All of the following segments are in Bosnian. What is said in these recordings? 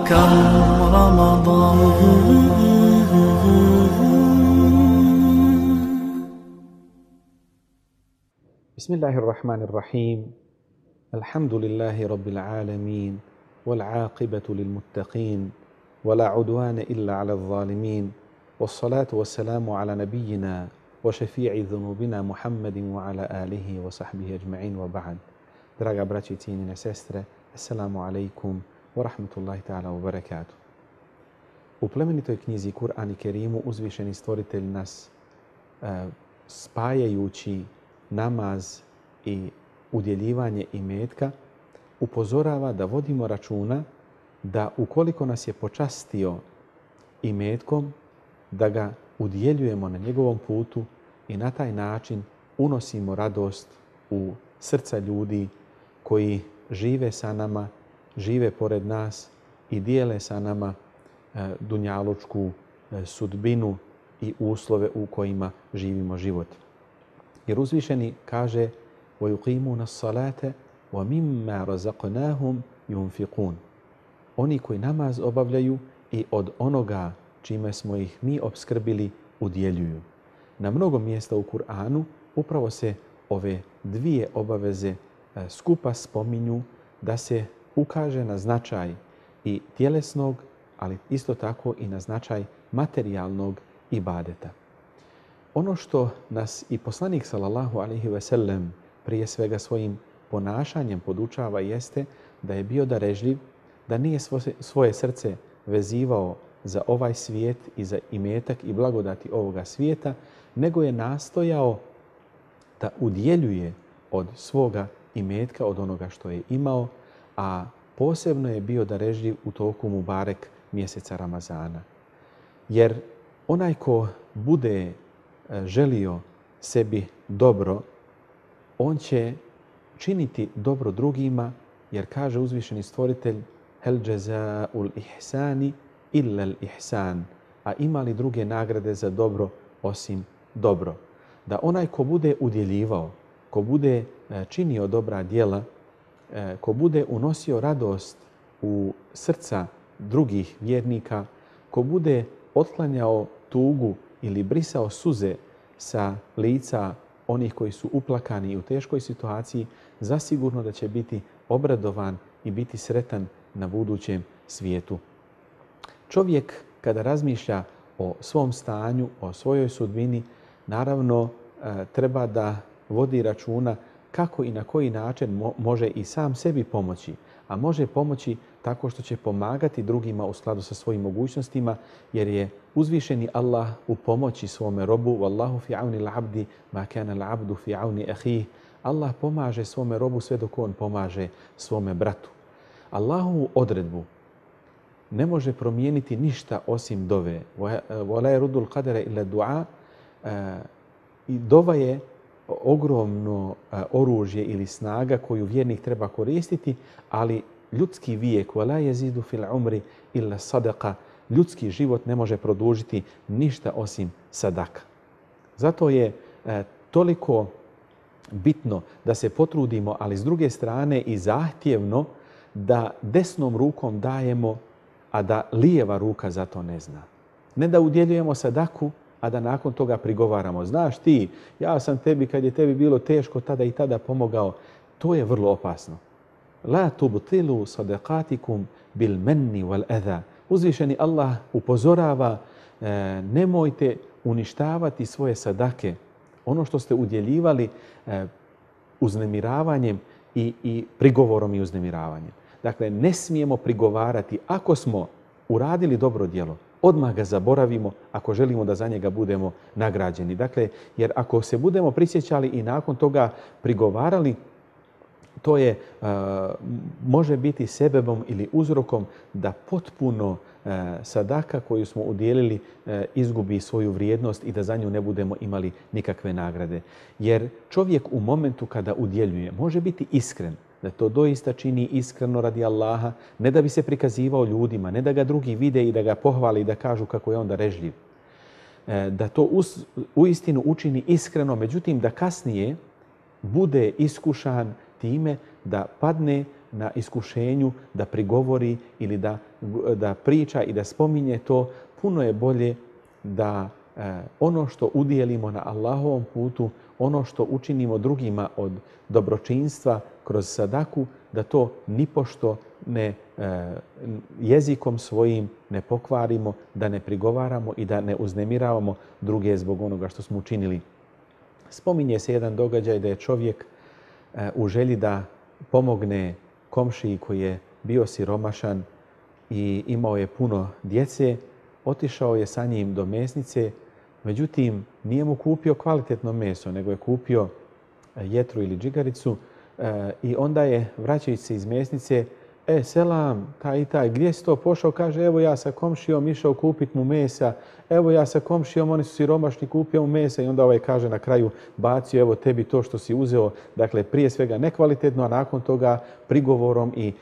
كم رمضان. بسم الله الرحمن الرحيم. الحمد لله رب العالمين والعاقبة للمتقين ولا عدوان إلا على الظالمين والصلاة والسلام على نبينا وشفيع ذنوبنا محمد وعلى آله وصحبه أجمعين وبعد. Draga braći i cijenjene sestre, assalamu alaikum wa rahmatullahi ta'ala wa barakatuh. U plemenitoj knjizi Kur'an i Kerimu uzvišeni stvoritelj nas spajajući namaz i udjeljivanje imetka upozorava da vodimo računa da ukoliko nas je počastio imetkom, da ga udjeljujemo na njegovom putu i na taj način unosimo radost u srca ljudi koji žive sa nama, žive pored nas i dijele sa nama dunjalučku sudbinu i uslove u kojima živimo život. Jer uzvišeni kaže وَيُقِيمُونَ الصَّلَاةَ وَمِمَّا رَزَقْنَاهُمْ يُنْفِقُونَ. Oni koji namaz obavljaju i od onoga čime smo ih mi opskrbili udjeljuju. Na mnogo mjesta u Kur'anu upravo se ove dvije obaveze skupa spominju da se ukaže na značaj i tjelesnog, ali isto tako i na značaj materijalnog ibadeta. Ono što nas i poslanik sallallahu alejhi ve sellem prije svega svojim ponašanjem podučava jeste da je bio darežljiv, da nije svoje srce vezivao za ovaj svijet i za imetak i blagodati ovoga svijeta, nego je nastojao da udjeljuje od svoga imetka, od onoga što je imao, a posebno je bio darežljiv u toku Mubarek mjeseca Ramazana. Jer onaj ko bude želio sebi dobro, on će činiti dobro drugima, jer kaže uzvišeni stvoritelj hel džeza'ul ihsani illa al ihsan, a ima li druge nagrade za dobro osim dobro. Da onaj ko bude udjeljivao, ko bude činio dobra djela, ko bude unosio radost u srca drugih vjernika, ko bude otklanjao tugu ili brisao suze sa lica onih koji su uplakani i u teškoj situaciji, zasigurno da će biti obradovan i biti sretan na budućem svijetu. Čovjek kada razmišlja o svom stanju, o svojoj sudbini, naravno treba da vodi računa kako i na koji način može i sam sebi pomoći, a može pomoći tako što će pomagati drugima u skladu sa svojim mogućnostima, jer je uzvišeni Allah u pomoći svome robu. Wallahu fi auni al-abdi ma kana al-abdu fi auni akhih. Allah pomaže svome robu sve dok on pomaže svome bratu. Allahovu odredbu ne može promijeniti ništa osim dove. Wala yaruddu al-qadara illa du'a. I dova je ogromno oružje ili snaga koju vjernik treba koristiti, ali ljudski vijek, wala yazidu fil umri illa sadaqa, ljudski život ne može produžiti ništa osim sadaka. Zato je toliko bitno da se potrudimo, ali s druge strane i zahtjevno da desnom rukom dajemo, a da lijeva ruka za to ne zna. Ne da udjeljujemo sadaku, a da nakon toga prigovaramo. Znaš ti, ja sam tebi kad je tebi bilo teško tada i tada pomogao. To je vrlo opasno. La tubtilu sadaqatikum bil manni wal adha. Uzvišeni Allah upozorava, nemojte uništavati svoje sadake, ono što ste udjeljivali uznemiravanjem i prigovorom i uznemiravanjem. Dakle, ne smijemo prigovarati ako smo uradili dobro djelo. Odmah ga zaboravimo ako želimo da za njega budemo nagrađeni. Dakle, jer ako se budemo prisjećali i nakon toga prigovarali, to je može biti sebebom ili uzrokom da potpuno sadaka koju smo udjelili izgubi svoju vrijednost i da za nju ne budemo imali nikakve nagrade. Jer čovjek u momentu kada udjeljuje može biti iskren, da to doista čini iskreno radi Allaha, ne da bi se prikazivao ljudima, ne da ga drugi vide i da ga pohvali i da kažu kako je on darežljiv. Da to uistinu učini iskreno, međutim da kasnije bude iskušan time da padne na iskušenju da prigovori ili da priča i da spominje to. Puno je bolje da ono što udjelimo na Allahovom putu, ono što učinimo drugima od dobročinstva kroz sadaku, da to nipošto ne jezikom svojim ne pokvarimo, da ne prigovaramo i da ne uznemiravamo druge zbog onoga što smo učinili. Spominje se jedan događaj da je čovjek u želji da pomogne komšiji koji je bio siromašan i imao je puno djece, otišao je sa njim do mesnice, međutim nije mu kupio kvalitetno meso, nego je kupio jetru ili džigaricu i onda je, vraćajući se iz mesnice, selam, taj i taj, gdje si to pošao? Kaže, evo ja sa komšijom išao kupit mu mesa, evo ja sa komšijom, oni su siromašni, kupio mu mesa i onda ovaj kaže na kraju, bacio evo tebi to što si uzeo, dakle prije svega nekvalitetno, a nakon toga prigovorom i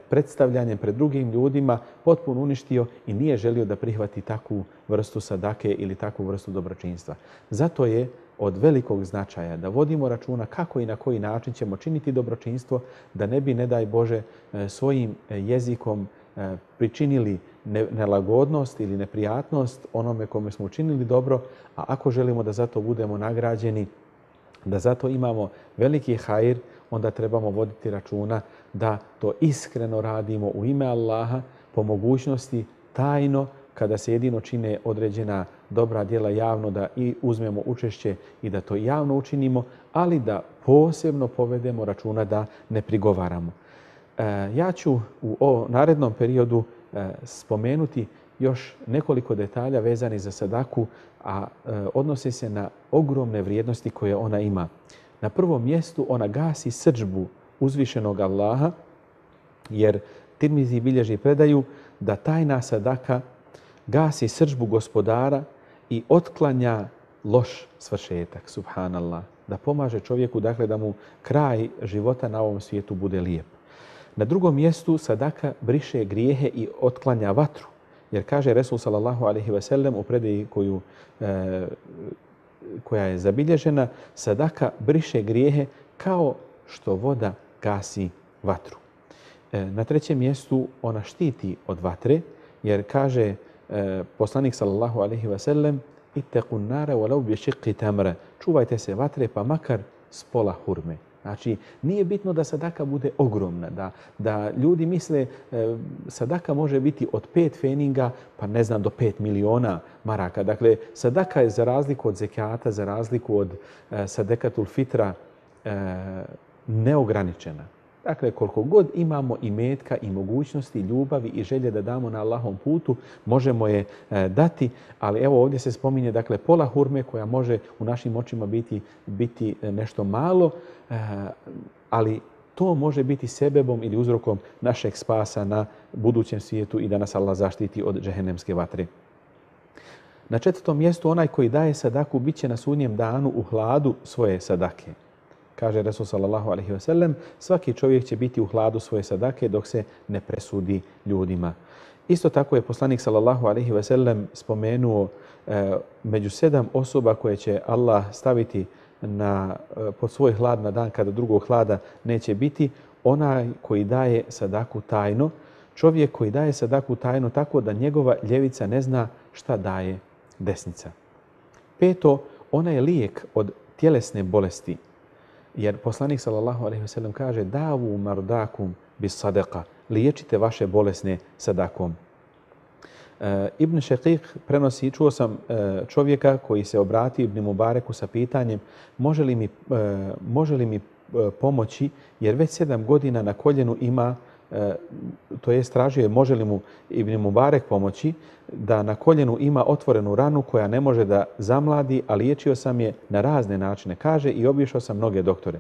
predstavljanjem pred drugim ljudima potpuno uništio i nije želio da prihvati takvu vrstu sadake ili takvu vrstu dobročinstva. Zato je od velikog značaja da vodimo računa kako i na koji način ćemo činiti dobročinstvo, da ne bi, ne daj Bože, svojim jezikom pričinili nelagodnost ili neprijatnost onome kome smo učinili dobro, a ako želimo da zato budemo nagrađeni, da zato imamo veliki hajr, onda trebamo voditi računa da to iskreno radimo u ime Allaha, po mogućnosti tajno, kada se jedino čine određena dobra djela javno, da i uzmemo učešće i da to javno učinimo, ali da posebno povedemo računa da ne prigovaramo. Ja ću u narednom periodu spomenuti još nekoliko detalja vezani za sadaku, a odnose se na ogromne vrijednosti koje ona ima. Na prvom mjestu ona gasi srdžbu uzvišenog Allaha, jer Tirmizi bilježi predaju da tajna sadaka gasi srdžbu gospodara i otklanja loš svršetak, subhanallah, da pomaže čovjeku, dakle da mu kraj života na ovom svijetu bude lijep. Na drugom mjestu sadaka briše grijehe i otklanja vatru, jer kaže Resul sallallahu alejhi ve sellem u predaji koja je zabilježena, sadaka briše grijehe kao što voda gasi vatru. Na trećem mjestu ona štiti od vatre, jer kaže poslanik sallallahu alejhi ve sellem, ittaqun nara walau bi shiqqi tamra, čuvajte se vatre pa makar s pola hurme. Znači, nije bitno da sadaka bude ogromna, da ljudi misle sadaka može biti od 5 feninga, pa ne znam, do 5 miliona maraka. Dakle, sadaka je za razliku od zekijata, za razliku od sadekatul fitra neograničena. Dakle, koliko god imamo imetka i mogućnosti, ljubavi i želje da damo na Allahom putu, možemo je dati, ali evo ovdje se spominje, dakle, pola hurme koja može u našim očima biti nešto malo, ali to može biti sebebom ili uzrokom našeg spasa na budućem svijetu i da nas Allah zaštiti od džehennemske vatre. Na četvrtom mjestu onaj koji daje sadaku bit će na sudnjem danu u hladu svoje sadake. Kaže Resul sallallahu alejhi ve sellem, svaki čovjek će biti u hladu svoje sadake dok se ne presudi ljudima. Isto tako je poslanik sallallahu alejhi ve sellem spomenuo među 7 osoba koje će Allah staviti pod svoj hlad na dan kada drugog hlada neće biti, onaj koji daje sadaku tajno, čovjek koji daje sadaku tajno tako da njegova ljevica ne zna šta daje desnica. 5. Ona je lijek od tjelesne bolesti. Jer poslanik sallallahu alejhi ve sellem kaže davu mardakum bis sadaqa, liječite vaše bolesne sadakom. Ibn Šekik prenosi, čuo sam čovjeka koji se obratio Ibn Mubareku sa pitanjem može li mi pomoći, jer već 7 godina na koljenu ima, to jest tražio je može li mu Ibn Mubarek pomoći, da na koljenu ima otvorenu ranu koja ne može da zamladi, a liječio sam je na razne načine, kaže, i obišao sam mnoge doktore.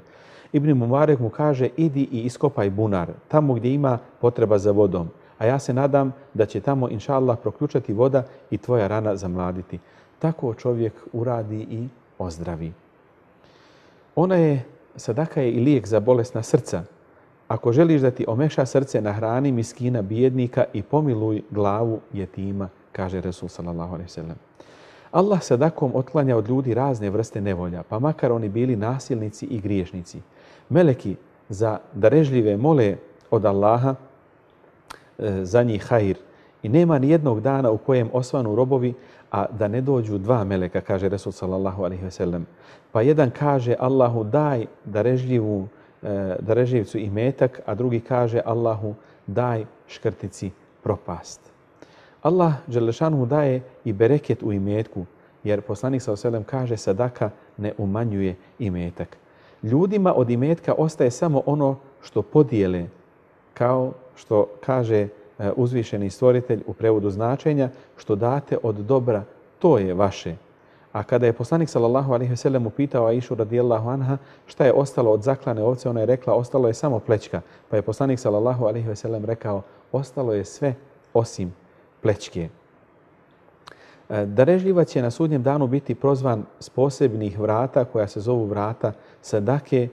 Ibn Mubarek mu kaže, idi i iskopaj bunar, tamo gdje ima potreba za vodom, a ja se nadam da će tamo, inša Allah, proključati voda i tvoja rana zamladiti. Tako čovjek uradi i ozdravi. Sadaka je i lijek za bolesna srca. Ako želiš da ti omeša srce, nahrani miskina, bijednika i pomiluj glavu jetima, kaže Resul sallallahu alejhi ve sellem. Allah sadakom otklanja od ljudi razne vrste nevolja, pa makar oni bili nasilnici i griješnici. Meleki za darežljive mole od Allaha za njih hajr. I nema ni jednog dana u kojem osvanu robovi, a da ne dođu dva meleka, kaže Resul sallallahu alejhi ve sellem. Pa jedan kaže Allahu daj darežljivcu imetak, a drugi kaže Allahu daj škrtici propast. Allah dželešanu daje i bereket u imetku, jer poslanik sallallahu alejhi ve sellem kaže sadaka ne umanjuje imetak. Ljudima od imetka ostaje samo ono što podijele, kao što kaže uzvišeni stvoritelj u prevodu značenja, što date od dobra, to je vaše. A kada je poslanik sallallahu alejhi ve sellem upitao Aishu radijallahu anha šta je ostalo od zaklane ovce, ona je rekla ostalo je samo plećka. Pa je poslanik sallallahu alejhi ve sellem rekao ostalo je sve osim plećke. Darežljivac će na sudnjem danu biti prozvan s posebnih vrata koja se zovu vrata sadake.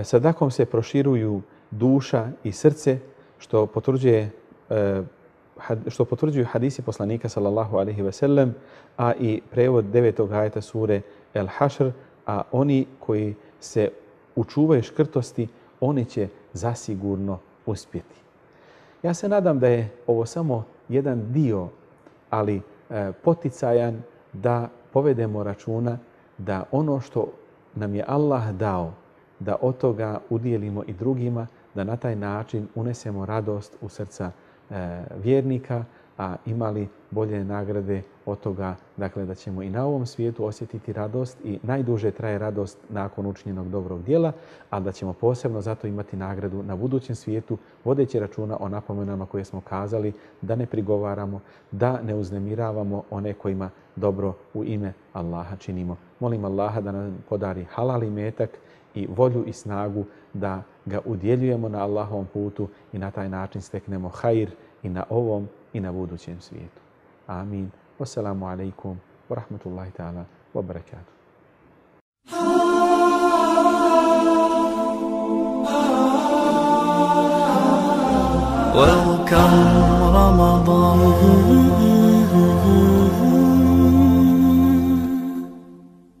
Sadakom se proširuju duša i srce, što potvrđuju hadisi poslanika sallallahu alejhi ve sellem, a i prevod 9. ajeta sure El Hašr, a oni koji se učuvaju škrtosti, oni će zasigurno uspjeti. Ja se nadam da je ovo samo jedan dio, ali poticajan da povedemo računa da ono što nam je Allah dao, da od toga udijelimo i drugima, da na taj način unesemo radost u srca vjernika, a imali bolje nagrade od toga, dakle da ćemo i na ovom svijetu osjetiti radost i najduže traje radost nakon učinjenog dobrog djela, a da ćemo posebno zato imati nagradu na budućem svijetu, vodeći računa o napomenama koje smo kazali, da ne prigovaramo, da ne uznemiravamo one kojima dobro u ime Allaha činimo. Molim Allaha da nam podari halal imetak i volju i snagu da ga udjeljujemo na Allahovom putu i na taj način steknemo hajr i na ovom i na budućem svijetu. Amin. Wassalamu alaikum wa rahmatullahi ta'ala wa barakatuh. Welcome Ramadan.